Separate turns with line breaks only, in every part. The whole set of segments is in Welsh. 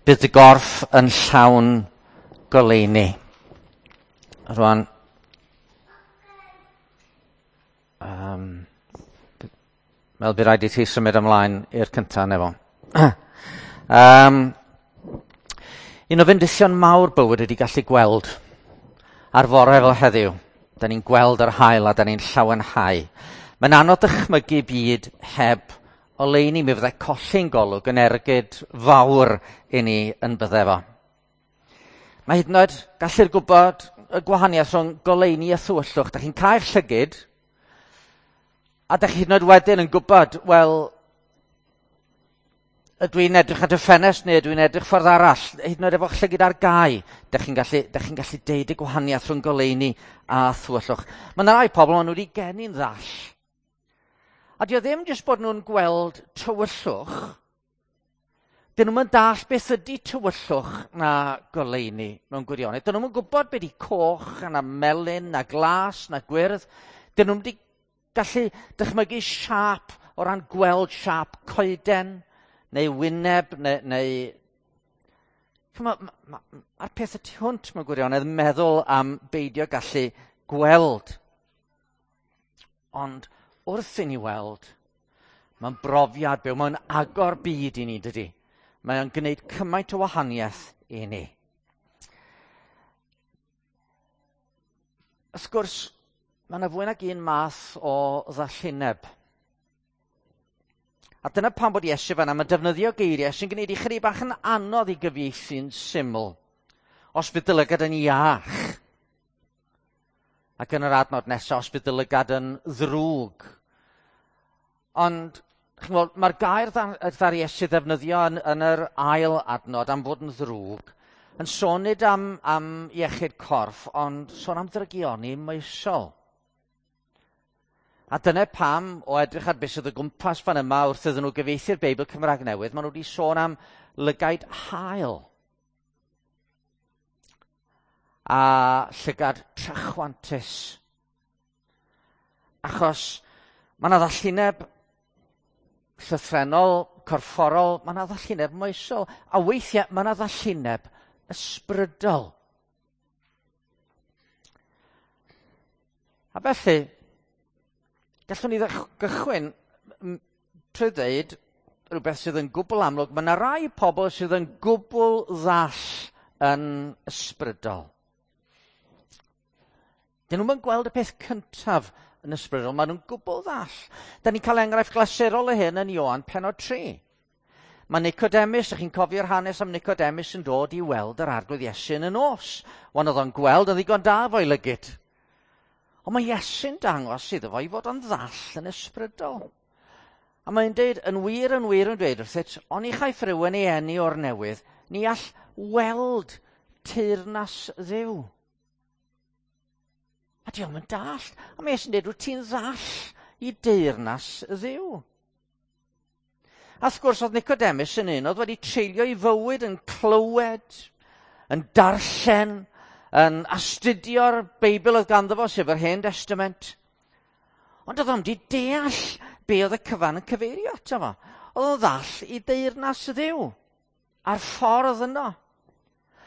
Bydd dy gorff yn llawn goleuni. Rwan, meddwl bydd rhaid i ti symud ymlaen i'r cyntaf nefo. Un o fendithion mawr bywyd ydy gallu gweld ar fore fel heddiw. Da ni'n gweld yr haul a da ni'n llawenhau. Mae'n anodd dychmygu byd heb oleuni. Mi fyddai colli'n golwg yn ergyd fawr i ni yn bydde fo. Mae hyd yn oed gallu'r gwybod y gwahaniaeth rhwng goleuni a thywyllwch. Da chi'n cau'r llygid, a da chi hyd yn oed wedyn yn gwybod, wel, ydw i'n edrych at y ffenest neu ydw i'n edrych ffordd arall? Hyd yn oed efo'ch llygid ar gau, da chi'n gallu deud y gwahaniaeth rhwng goleuni a thywyllwch. Mae yna rai pobl, maen nhw wedi geni'n ddall. A dio ddim jyst bod nhw'n gweld tywyllwch, dyn nhw'm yn dallt beth ydy tywyllwch na goleuni mewn gwirionedd. Dyn nhw'm yn gwybod beth ydy coch na melyn na glas na gwyrdd. Dyn nhw'm wedi gallu dychmygu siâp o ran gweld siâp coeden neu wyneb, neu Mae'r peth y tu hwnt mewn gwirionedd meddwl am beidio gallu gweld. Ond wrth i ni weld, mae'n brofiad byw, mae'n agor byd i ni, dydy. Mae'n gwneud cymaint o wahaniaeth i ni. Wrth gwrs, mae yna fwy nag un math o ddallineb. A dyna pam bod Iesu fan'na, mae'n defnyddio geiriau sy'n gwneud i chydig bach yn anodd i gyfieithu'n syml. Os fydd dy lygad yn iach. Ac yn yr adnod nesaf, os fydd dy lygad yn ddrwg. Ond, chimod, mae'r gair ddaru Iesu ddefnyddio yn yr ail adnod am fod yn ddrwg, yn sôn nid am iechyd corff, ond sôn am ddrygioni moesol. A dyna pam, o edrych ar beth sydd o gwmpas fan yma wrth iddyn nhw gyfieithu'r Beibl Cymraeg Newydd, maen nhw wedi sôn am lygaid haul a llygad trachwantus. Achos mae yna ddallineb llythrennol, corfforol, mae yna ddallineb moesol, a weithiau mae yna ddallineb ysbrydol. A felly, gallwn ni gychwyn trwy ddeud rhywbeth sydd yn gwbl amlwg. Mae yna rai pobl sydd yn gwbl ddall yn ysbrydol. Dyn nhw'm yn gweld y peth cyntaf yn ysbrydol, maen nhw'n gwbl ddall. Da ni'n cael enghraifft glasurol o hyn yn Ioan pennod 3. Mae Nicodemus, ydych chi'n cofio'r hanes am Nicodemus yn dod i weld yr Arglwydd Iesu yn y nos. Wan oedd o'n gweld yn ddigon da fo'i lygid. Ond mae Iesu'n dangos iddo fo i fod o'n ddall yn ysbrydol. A mae'n deud, yn wir, yn wir yn dweud wrthyt, oni chaiff rhywun ei eni o'r newydd, ni all weld teyrnas Dduw. A diolch yn dall. A mae Iesu'n deud, wyt ti'n ddall i deyrnas Dduw. A wrth gwrs, oedd Nicodemus yn un oedd wedi treulio ei fywyd yn clywed, yn darllen, yn astudio'r Beibl oedd ganddo fo, sef yr Hen Testament. Ond oedd o'n di deall be oedd y cyfan yn cyfeirio ato fo. Oedd o'n ddall i deyrnas Dduw a'r ffordd yno.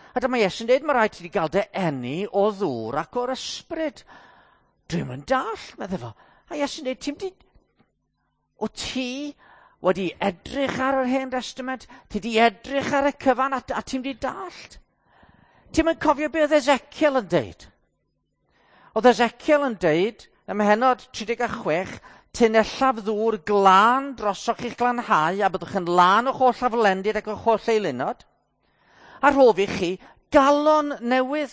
A dyma Iesu'n dweud, mae rhaid ti gael dy eni o ddŵr ac o'r ysbryd. Dwi'm yn dall, meddai fo. A Iesu'n dweud, ti'n di... O ti wedi edrych ar yr Hen Testament, ti di edrych ar y cyfan a ti'n di dallt. Ti'm yn cofio be oedd Ezekiel yn deud? Oedd Ezekiel yn deud, ym mhennod 36, tunellaf ddŵr glân drosoch i'ch glanhau a byddwch yn lân o'ch holl aflendid ac o'ch holl eilunod. A rhof i chi galon newydd,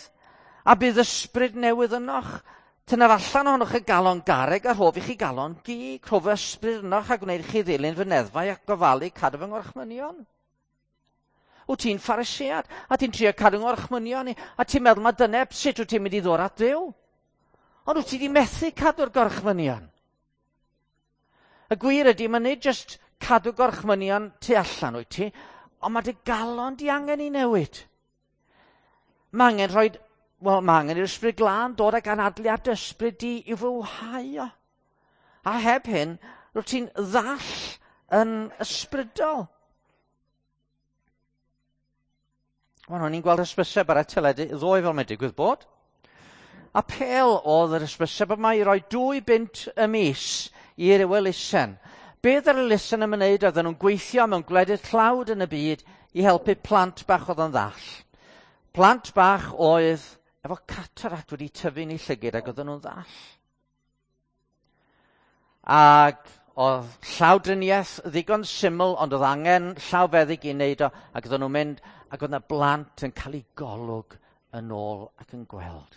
a bydd ysbryd newydd ynoch. Tynnaf allan ohonoch y galon garreg a rhof i chi galon gig. Rhof ysbryd ynoch a gwneud chi ddilyn fy neddfau ac gofalu cadw fy ngorchmynion. Wyt ti'n Pharisead, a ti'n trio cadw ngorchmynion i, a ti'n meddwl mae dyna sut wyt ti'n mynd i ddod at Dduw. Ond wyt ti wedi methu cadw'r gorchmynion. Y gwir ydy, mae nid jyst cadw gorchmynion tu allan wyt ti, ond mae dy galon di angen i newid. Mae angen rhoi, wel, mae angen i'r ysbryd glân dod ag anadlu ar dy ysbryd di i fywhau o. A heb hyn, rwyt ti'n ddall yn ysbrydol. Wel, o'n i'n gweld hysbyseb ar y teledu ddoe fel mae'n digwydd bod. Apêl oedd yr hysbyseb yma i roi 2 bunt y mis i'r elusen. Be oedd yr elusen yn wneud? Oedden nhw'n gweithio mewn gwledydd tlawd yn y byd i helpu plant bach oedd yn ddall. Plant bach oedd efo cataract wedi tyfu'n eu llygid ac oedden nhw'n ddall. Ac oedd llawdriniaeth ddigon syml, ond oedd angen llawfeddyg i wneud o, ac oedden nhw'n mynd, ac oedd yna blant yn cael eu golwg yn ôl ac yn gweld.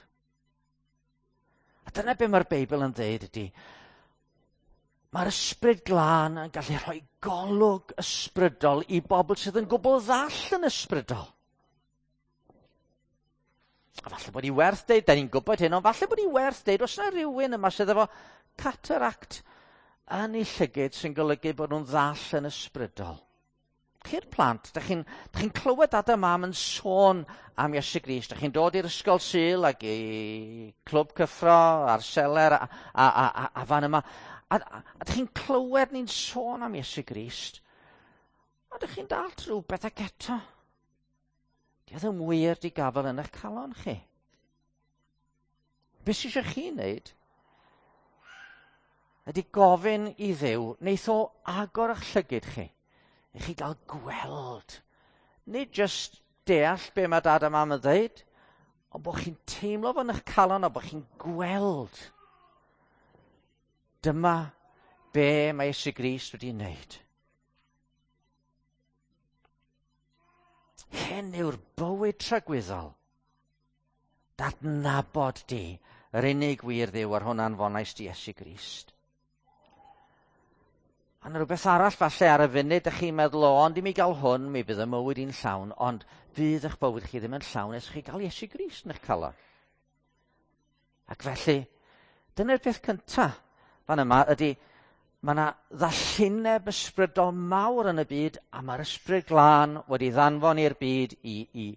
A dyna be mae'r Beibl yn dweud ydy, mae'r ysbryd glân yn gallu rhoi golwg ysbrydol i bobl sydd yn gwbl ddall yn ysbrydol. A falle bod hi werth deud, da ni'n gwybod hyn, ond falle bod hi werth deud, os yna rhywun yma sydd efo cataract yn ei llygid sy'n golygu bod nhw'n ddall yn ysbrydol. Chi'r plant, da chi'n chi clywed dad a mam yn sôn am Iesu Grist. Da chi'n dod i'r ysgol Sul ac i clwb cyffro a'r seler a fan yma. A da chi'n clywed ni'n sôn am Iesu Grist. A da chi'n dalt rhywbeth ac eto. Di o ddim wir di gafel yn eich calon chi. Be sy eisiau chi wneud ydy gofyn i Dduw, wneith o agor eich llygid chi, i chi gael gweld. Nid jyst deall be mae dad a mam yn dweud, ond bod chi'n teimlo fo'n eich calon a bod chi'n gweld. Dyma be mae Iesu Grist wedi wneud. Hyn yw'r bywyd tragwyddol. Dadnabod di, yr unig wir Dduw ar hwn anfonais di Iesu Grist. A yna rhywbeth arall falle ar y funud ydych chi'n meddwl, o, ond i mi gael hwn, mi fydd y mywyd i'n llawn, ond fydd eich bywyd chi ddim yn llawn nes chi gael Iesu Grist yn eich calon. Ac felly, dyna'r peth cyntaf fan yma ydy, mae yna ddallineb ysbrydol mawr yn y byd, a mae'r ysbryd glân wedi ddanfon i'r byd i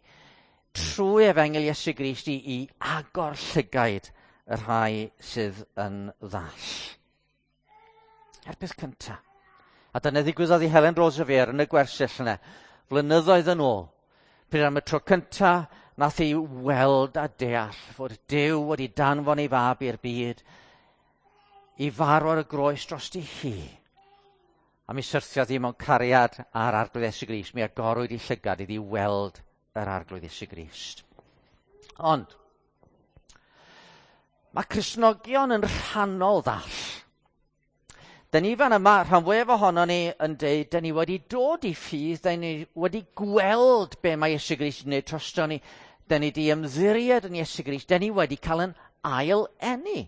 trwy efengyl Iesu Grist i agor llygaid y rhai sydd yn ddall. A'r peth cyntaf. A dyna ddigwyddodd i Helen Roseveare yn y gwersyll yna, flynyddoedd yn ôl. Pryd am y tro cyntaf, nath hi weld a deall fod Duw wedi danfon ei fab i'r byd i farw ar y groes drosti hi. A mi syrthiodd hi mewn cariad ar Arglwydd Iesu Grist. Mi agorwyd ei llygad iddi weld yr Arglwydd Iesu Grist. Ond, mae Cristnogion yn rhannol ddall. Da ni fan yma, rhan fwyaf ohonon ni yn deud, da ni wedi dod i ffydd, da ni wedi gweld be mae Iesu Grist yn gwneud drosto ni, da ni wedi ymddiried yn Iesu Grist, da ni wedi cael yn ail eni.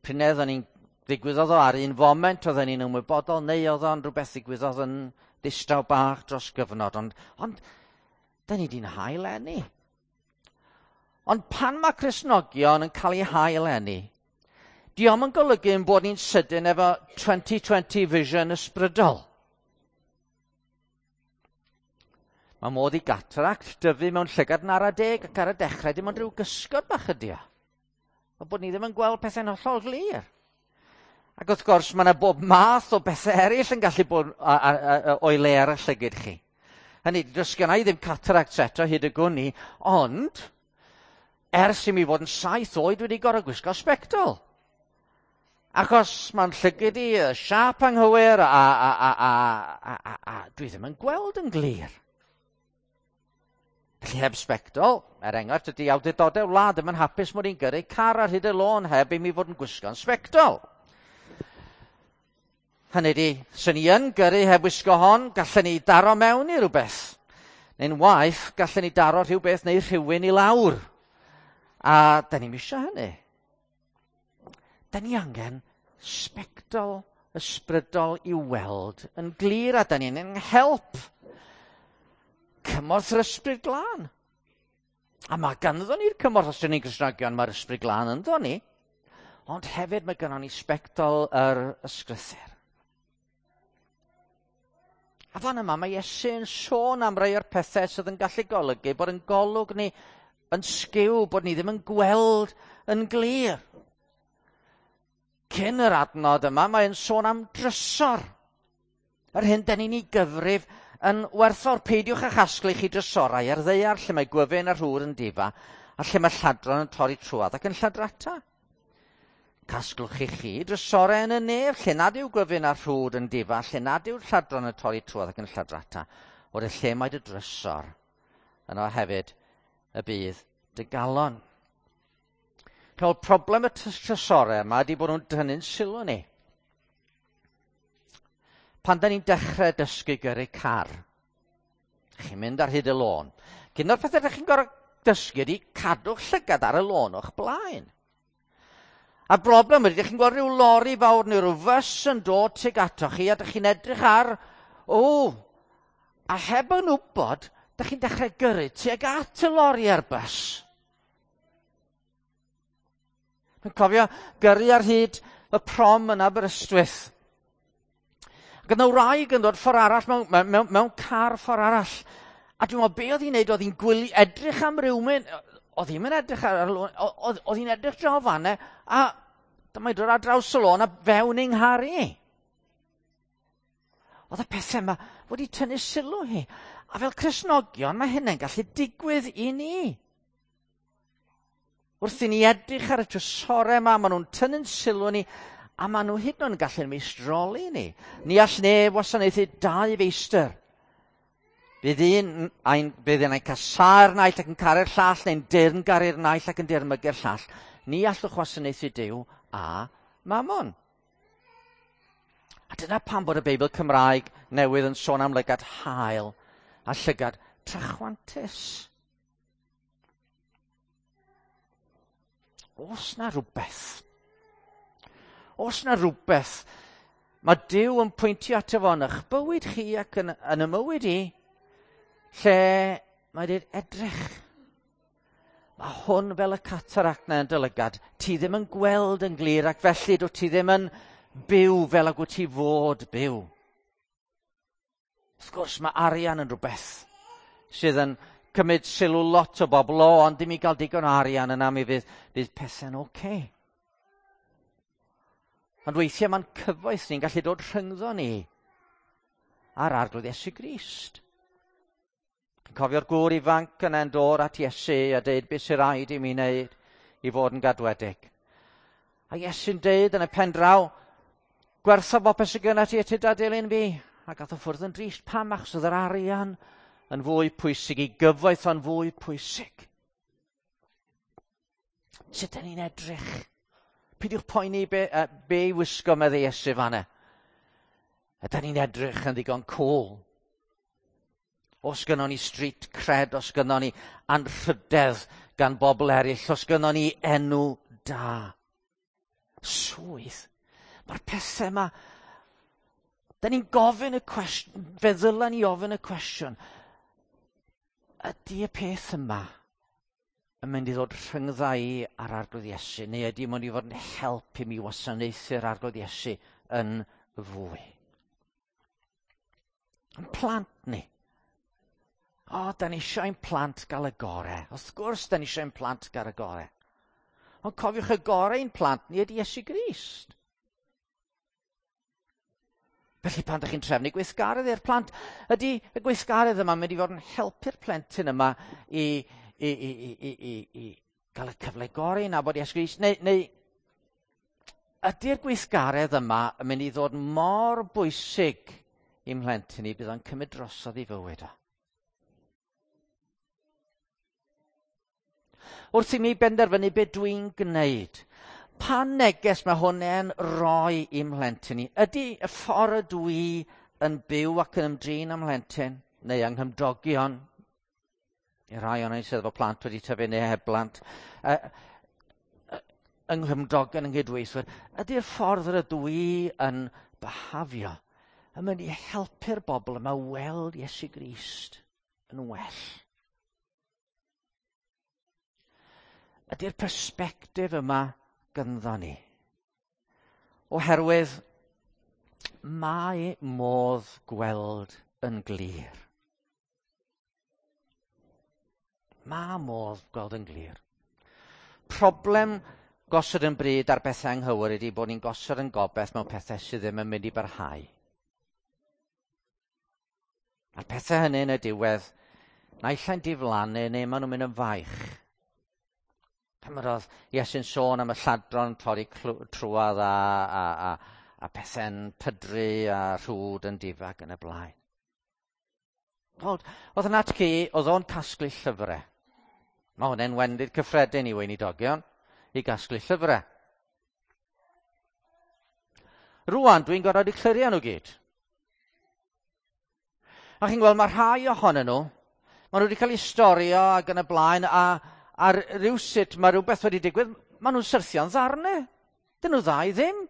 Prynedd o'n ni'n ddigwyddodd o ar un foment, oedden ni'n ymwybodol, neu oedd o'n rhywbeth ddigwyddodd yn ddistaw bach dros gyfnod, ond da ni wedi'n hail eni. Ond pan mae Cristnogion yn cael eu hail eni, dio'm yn golygu ein bod ni'n sydyn efo 2020 vision ysbrydol. Mae modd i gataract dyfu mewn llygad yn ara deg ac ar y dechrau dim ond rhyw gysgod bach ydi o. Fel bod ni ddim yn gweld pethau'n hollol glir. Ac wrth gwrs mae yna bob math o bethau eraill yn gallu bod o'i le ar y llygid chi. Hynny, does genna i ddim cataract eto hyd y gwn i, ond ers i mi fod yn 7 oed wedi gorfod gwisgo sbectol. Achos mae'n llygid i siâp anghywir a dwi ddim yn gweld yn glir. Felly heb sbectol, er enghraifft, ydy awdurdodau wlad ddim yn hapus mod i'n gyrru car ar hyd y lôn heb i mi fod yn gwisgo'n sbectol. Hynny ydi, swn i yn gyrru heb wisgo hon, gallen ni daro mewn i rhywbeth. Neu'n waeth, gallen ni daro rhywbeth neu rhywun i lawr. A da ni'm isio hynny. Da ni angen sbectol ysbrydol i weld yn glir, a da ni angen help. Cymorth yr ysbryd glân. A mae ganddo ni'r cymorth os ydyn ni'n Gristnogion, mae'r ysbryd glân ynddo ni. Ond hefyd mae gynnon ni sbectol yr ysgrythur. A fan yma mae Iesu yn sôn am rai o'r pethau sydd yn gallu golygu bod yn golwg ni yn sgiw, bod ni ddim yn gweld yn glir. Cyn yr adnod yma, mae'n sôn am drysor. Yr hyn dan ni'n ei gyfrif yn werthfawr. Peidiwch â chasglu chi drysorau ar ddaear lle mae gwyfyn a rhwr yn difa a lle mae lladron yn torri trwad ac yn lladrata. Casglwch i chi drysorau yn y nef lle nad yw gwyfyn a rhwd yn difa, lle nad yw'r lladron yn torri trwad ac yn lladrata. O'r lle mae dy drysor, yno hefyd y bydd dy galon. Cael problem y trysorau yma ydy bod nhw'n tynnu'n sylw ni. Pan da ni'n dechrau dysgu gyrru car, chi'n mynd ar hyd y lôn. Cyn o'r pethau ydych chi'n gorfod dysgu ydy cadw'ch llygad ar y lôn o'ch blaen. A broblem ydy, ydych chi'n gweld rhyw lori fawr neu rhyw fws yn dod tuag atoch chi, a ydych chi'n edrych ar, o, a heb yn wybod, ydych chi'n dechrau gyrru tuag at y lori a'r bws. Dwi'n cofio gyrru ar hyd y prom yn Aberystwyth. Ac yna wraig yn dod ffordd arall mewn, mewn, mewn car ffordd arall. A dwi'n meddwl, be oedd hi'n neud? Oedd hi'n gwylio, edrych am rhywun, oedd hi'n edrych ar y lôn, oedd hi'n edrych draw fanne, a dyma dod ar draws y lôn a fewn yng nghar i. Oedd y pethau yma wedi tynnu sylw hi. A fel Cristnogion, mae hynny'n gallu digwydd i ni. Wrth i ni edrych ar y trysorau yma, maen nhw'n tynnu'n sylw ni, a maen nhw hyd yn oed yn gallu meistroli ni. Ni all neb wasanaethu dau feistr. Bydd un, ein, bydd un ein casáu'r naill ac yn caru'r llall, neu'n deyrngaru'r naill ac yn deyrnmygu'r llall. Ni allwch wasanaethu Duw a Mammon. A dyna pam bod y Beibl Cymraeg newydd yn sôn am lygad hael a llygad trachwantus. Os na rhywbeth, os na rhywbeth, mae Duw yn pwyntio ato fo yn eich bywyd chi ac yn, yn y mywyd i, lle mae dweud edrych. Mae hwn fel y cataract na yn dylygad. Ti ddim yn gweld yn glir ac felly dwi ti ddim yn byw fel ag wyt ti fod byw. Wrth gwrs mae arian yn rhywbeth sydd yn cymryd sylw lot o bobl, o, ond ddim i gael digon o arian yna mi fydd, fydd pethau'n oce. Okay. Ond weithiau mae'n cyfoeth ni'n gallu dod rhyngddo ni a'r Arglwydd Iesu Grist. Yn cofio'r gŵr ifanc yna'n dod at Iesu a deud beth sy'n rhaid i mi wneud i fod yn gadwedig. A Iesu'n deud yn y pen draw, gwertha bopeth sydd gyda ti a ti da dilyn fi. A gath o ffwrdd yn drist. Pam? Achos oedd yr arian yn fwy pwysig, i gyfoeth o'n fwy pwysig. Sut ydyn ni'n edrych? Peidiwch poeni be, be i wisgo medde Iesu fanna. Ydyn ni'n edrych yn ddigon cool? Os gynnon ni street cred, os gynnon ni anrhydedd gan bobl eraill, os gynnon ni enw da. Swydd. Mae'r pethau yma... Da ni'n gofyn y cwestiwn, fe ddylen ni ofyn y cwestiwn, ydy y peth yma yn mynd i ddod rhyngdda i a'r Arglwydd Iesu, neu ydy mynd i fod yn help i mi wasanaethu'r Arglwydd Iesu yn fwy? Yn plant ni. O, da ni eisiau ein plant gael y gore. Wrth gwrs, da ni eisiau ein plant gael y gore. Ond cofiwch y gore ein plant ni ydy Iesu Grist. Felly pan ydych chi'n trefnu gweithgaredd i'r plant, ydy y gweithgaredd yma mynd i fod yn helpu'r plentyn yma i, i, i, i, i, i, i gael y cyfle gorau i nabod Iesu Grist, neu, neu ydy'r gweithgaredd yma yn mynd i ddod mor bwysig i'm mhlentyn i bydd o'n cymryd drosodd i fywyd o. Wrth i mi benderfynu be dwi'n gwneud, pa neges mae hwnna'n roi i'm mhlentyn i? Ydy y ffordd ydw i yn byw ac yn ymdrin â'm mhlentyn, neu yng nghymdogion, i rai o'n sydd efo plant wedi tyfu neu heb blant, yng nghymdogion yng nghydweithwyr, ydy'r ffordd yr ydw i yn byhafio yn mynd i helpu'r bobl yma weld Iesu Grist yn well? Ydy'r persbectif yma gynddo ni? Oherwydd mae modd gweld yn glir. Mae modd gweld yn glir. Problem gosod yn bryd ar bethau anghywir ydy bod ni'n gosod yn gobeith mewn pethau sydd ddim yn mynd i barhau. A'r pethau hynny yn y diwedd, naill ai'n diflannu neu maen nhw'n mynd yn faich. Pan oedd Iesu'n sôn am y lladron torri trwadd a pethau'n pydru a rhwd yn difag yn y blaen. Oedd yn atgu, oedd o'n casglu llyfrau. Mae hwnna'n wendid cyffredin i weinidogion, i gasglu llyfrau. Rwan, dwi'n gorfod i clirio nhw gyd. A chi'n gweld, mae rhai ohonyn nhw, maen nhw wedi cael eu storio ac yn y blaen, a rhywsut mae rhywbeth wedi digwydd, maen nhw'n syrthio'n ddarnau. Dyn nhw ddau ddim.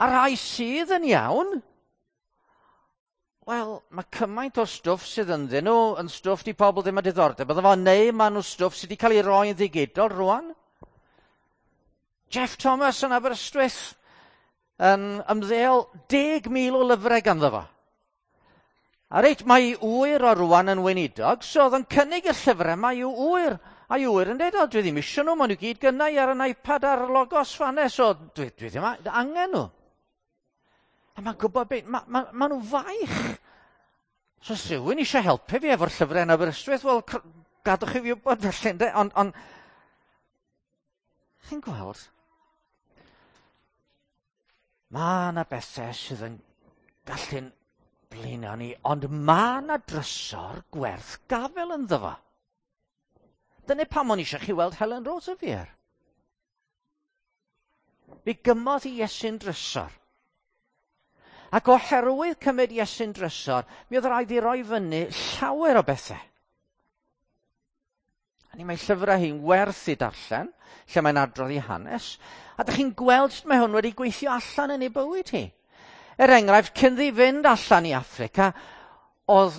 A rhai sydd yn iawn, wel, mae cymaint o stwff sydd ynddyn nhw yn stwff di pobl ddim â diddordeb. Bydde fo, neu maen nhw stwff sydd wedi cael ei roi yn ddigidol rwan. Jeff Thomas yn Aberystwyth yn ymddeol 10,000 o lyfrau ganddo fo. A reit, mae ei ŵyr o rwan yn weinidog, so oedd yn cynnig y llyfrau yma i'w ŵyr. A i'w ŵyr yn dweud, o, dwi ddim eisiau nhw, maen nhw gyd gynna i ar yn iPad a'r Logos fanne, so dwi ddim angen nhw. A mae'n gwybod beth, ma nhw faich. So os rhywun eisiau helpu fi efo'r llyfrau yn Aberystwyth, wel, gadwch i fi wybod felly, ynde? Ond chi'n gweld, mae yna bethau sydd yn gallu'n blino ni, ond mae yna drysor gwerth gafel ynddo fo. Dyna pam o'n i eisiau chi weld Helen Roseveare. Fe gymodd i Iesu'n drysor. Ac oherwydd cymryd Iesu'n drysor, mi oedd rhaid i roi fyny llawer o bethau. A ni mae llyfrau hi'n werth i darllen, lle mae'n adrodd i hanes, a dych chi'n gweld sut mae hwn wedi gweithio allan yn ei bywyd hi. Er enghraifft, cyn ddi fynd allan i Affrica, oedd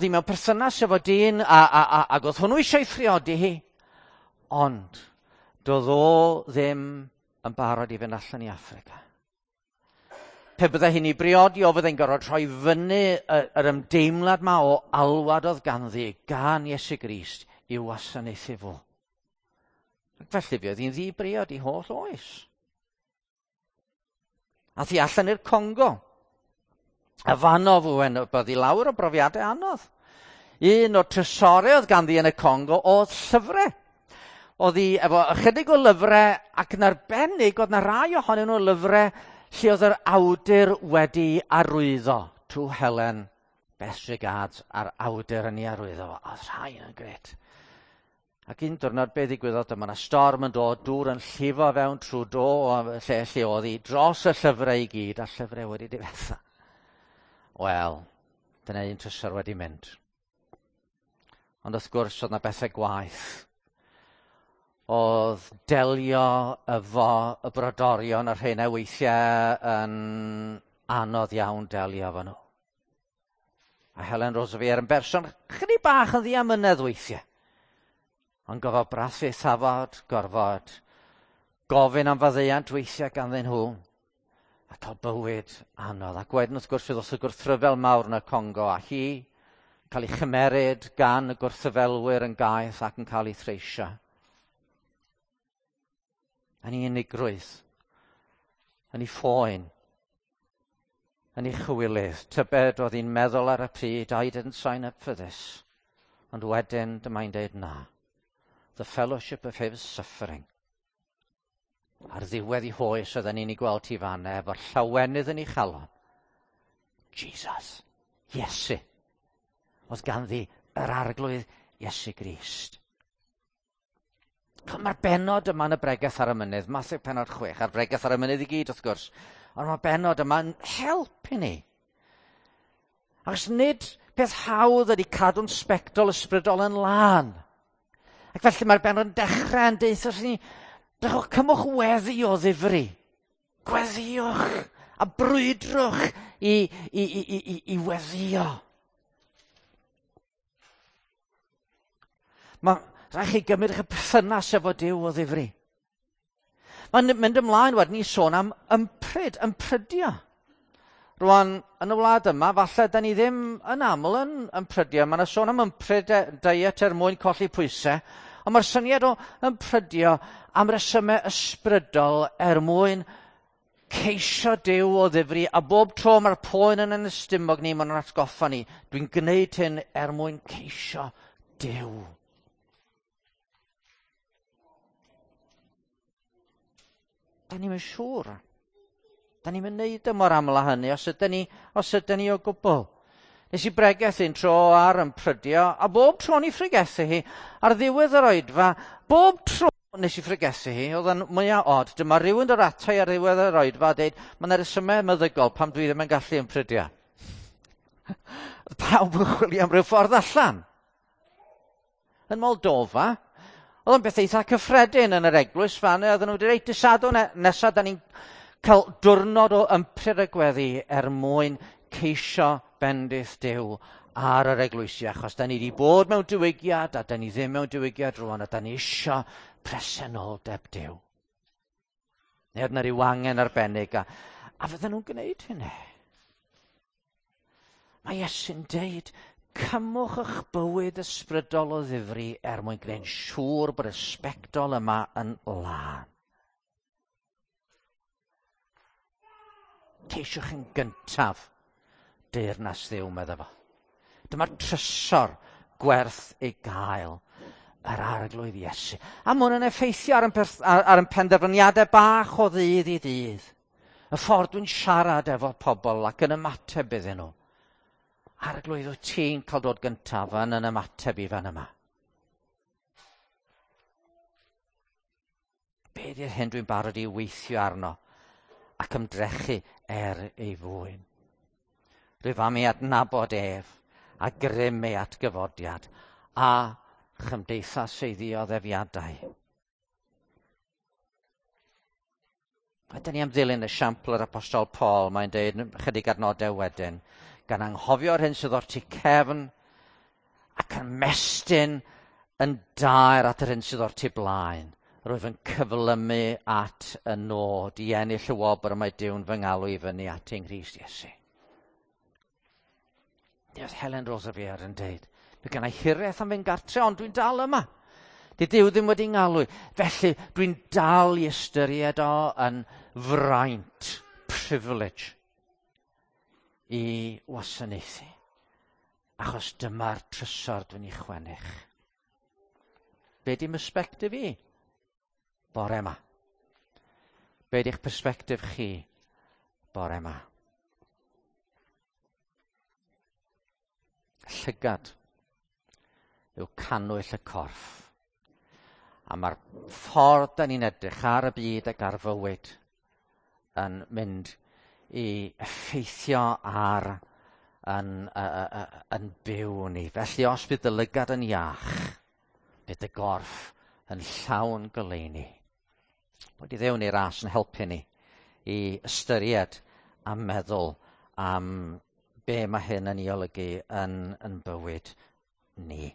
hi mewn perthynas efo dyn, ac oedd hwnnw eisiau ei phriodi hi, ond doedd o ddim yn barod i fynd allan i Affrica. Pe byddai hi'n ei briodi, o fyddai'n gorfod rhoi fyny yr ymdeimlad ma o alwad oedd ganddi gan Iesu Grist i'w wasanaethu fo. Ac felly fe oedd hi'n ddi-briod i holl oes. Ath hi allan i'r Congo. A fanno fwy, bydd hi lawr o brofiadau anodd. Un o'r trysorau oedd ganddi yn y Congo oedd llyfrau. Oedd hi efo ychydig o lyfrau ac yn arbennig oedd na rai ohonyn nhw lyfrau lle oedd yr awdur wedi arwyddo. To Helen, best regards, a'r awdur yn ei arwyddo. Oedd rhai yn gret. Ac un diwrnod be ddigwyddodd, dyma yna storm yn dod, dŵr yn llifo fewn trwy do lle oedd hi, dros y llyfrau i gyd, a llyfrau wedi difetha. Wel, dyna un trysor wedi mynd. Ond wrth gwrs, oedd yna bethau gwaeth. Oedd delio efo y brodorion a'r rheina weithiau yn anodd iawn delio efo nhw. A Helen Roseveare yn berson chydig bach yn ddiamynedd weithiau. Ond gorfod brathu thafod, gorfod gofyn am faddeuant weithiau ganddyn nhw, a cael bywyd anodd. Ac wedyn wrth gwrs fe ddoth y gwrthryfel mawr yn y Congo, a hi cael ei chymeryd gan y gwrthryfelwyr yn gaeth ac yn cael ei threisio. Yn ei unigrwydd, yn ei phoen, yn ei chywilydd. Tybed oedd hi'n meddwl ar y pryd, I didn't sign up for this. Ond wedyn dyma'n deud na. The fellowship of his suffering. Ar ddiwedd i hoes oedden ni'n ei gweld hi fanna efo'r llawenydd yn ei chalon. Jesus, Iesu. Oedd ganddi yr arglwydd Iesu Grist. Mae'r bennod yma yn y bregeth ar y mynydd, Mathew pennod 6, a'r bregeth ar y mynydd i gyd wrth gwrs, ond mae'r bennod yma'n help i ni. Achos nid peth hawdd ydy cadw'n sbectol ysbrydol yn lân. Ac felly mae'r bennod yn dechrau yn deutha ni, drychwch, cymwch weddi o ddifri. Gweddiwch a brwydrwch i weddio. Mae rhaid chi gymryd eich perthynas efo Duw o ddifri. Mae'n mynd ymlaen wedyn i sôn am ympryd, ymprydio. Rwan, yn y wlad yma, falle da ni ddim yn aml yn ymprydio. Mae yna sôn am ympryd diet er mwyn colli pwysau, ond mae'r syniad o ymprydio am resymau ysbrydol er mwyn ceisio Duw o ddifri, a bob tro mae'r poen yn yn ystumog ni, mae'n atgoffa ni, dwi'n gwneud hyn er mwyn ceisio Duw. Da ni'n mynd siŵr. Da ni'n mynd neud y mor aml â hynny, os ydyn ni, os ydyn ni o gwbl. Nes i bregethu un tro ar yn prydio, a bob tro ni phregethu hi, ar ddiwedd yr oedfa, bob tro nes i phregethu hi, oedd yn mwyaf od, dyma rhywun dod ato i ar ddiwedd yr oedfa a dweud, mae yna resymau meddygol pam dwi ddim yn gallu yn prydio. Pawb yn chwilio am ryw ffordd allan. Yn Moldova, oedd o'n beth eitha cyffredin yn yr eglwys fan, oedden nhw wedi dweud, dysadwn nesaf, da ni'n cael diwrnod o ympryd y gweddi er mwyn ceisio bendith Duw ar yr eglwysi, achos da ni wedi bod mewn diwygiad, a da ni ddim mewn diwygiad rwan, a da ni isio presenoldeb Duw. Neu oedd yna ryw angen arbennig, a, a fydden nhw'n gwneud hynny. Mae Iesu'n deud, cymwch eich bywyd ysbrydol o ddifri er mwyn gwneud siŵr bod y sbectol yma yn lân. Ceisiwch yn gyntaf deyrnas Dduw, medda fo. Dyma'r trysor gwerth ei gael yr arglwydd Iesu. A mae hwn yn effeithio ar yn, ar, ar yn penderfyniadau bach o ddydd i ddydd. Y ffordd dwi'n siarad efo pobl ac yn ymateb iddyn nhw. Arglwydd, wyt ti'n cael dod gyntaf yn yn ymateb i fan yma? Be ydy'r hyn dwi'n barod i weithio arno ac ymdrechu er ei fwyn? Rwyf am ei adnabod ef a grym ei atgyfodiad a chymdeithas ei ddioddefiadau. A dyn ni am ddilyn esiampl yr apostol Paul, mae'n deud chydig adnodau wedyn, gan anghofio'r hyn sydd o'r tu cefn ac yn mestyn yn daer at yr hyn sydd o'r tu blaen. Rwyf yn cyflymu at y nod i ennill y wobr y mae Duw'n fy ngalw i fyny at yng Nghrist Iesu. Ni oedd Helen Roseveare yn deud, mae gen i hiraeth am fynd gartre, ond dwi'n dal yma. Di Duw ddim wedi ngalw. Felly dwi'n dal i ystyried o yn fraint, privilege, i wasanaethu. Achos dyma'r trysor dwi'n ei chwennych. Be di perspectif i bore yma? Be di'ch perspectif chi bore yma? Llygad yw cannwyll y corff. A mae'r ffordd da ni'n edrych ar y byd ac ar fywyd yn mynd i effeithio ar yn, yn byw ni. Felly os bydd dy lygad yn iach, bydd dy gorff yn llawn goleuni. Bod i ddewn i'r ras yn helpu ni i ystyried a meddwl am be mae hyn yn ei olygu yn, yn bywyd ni.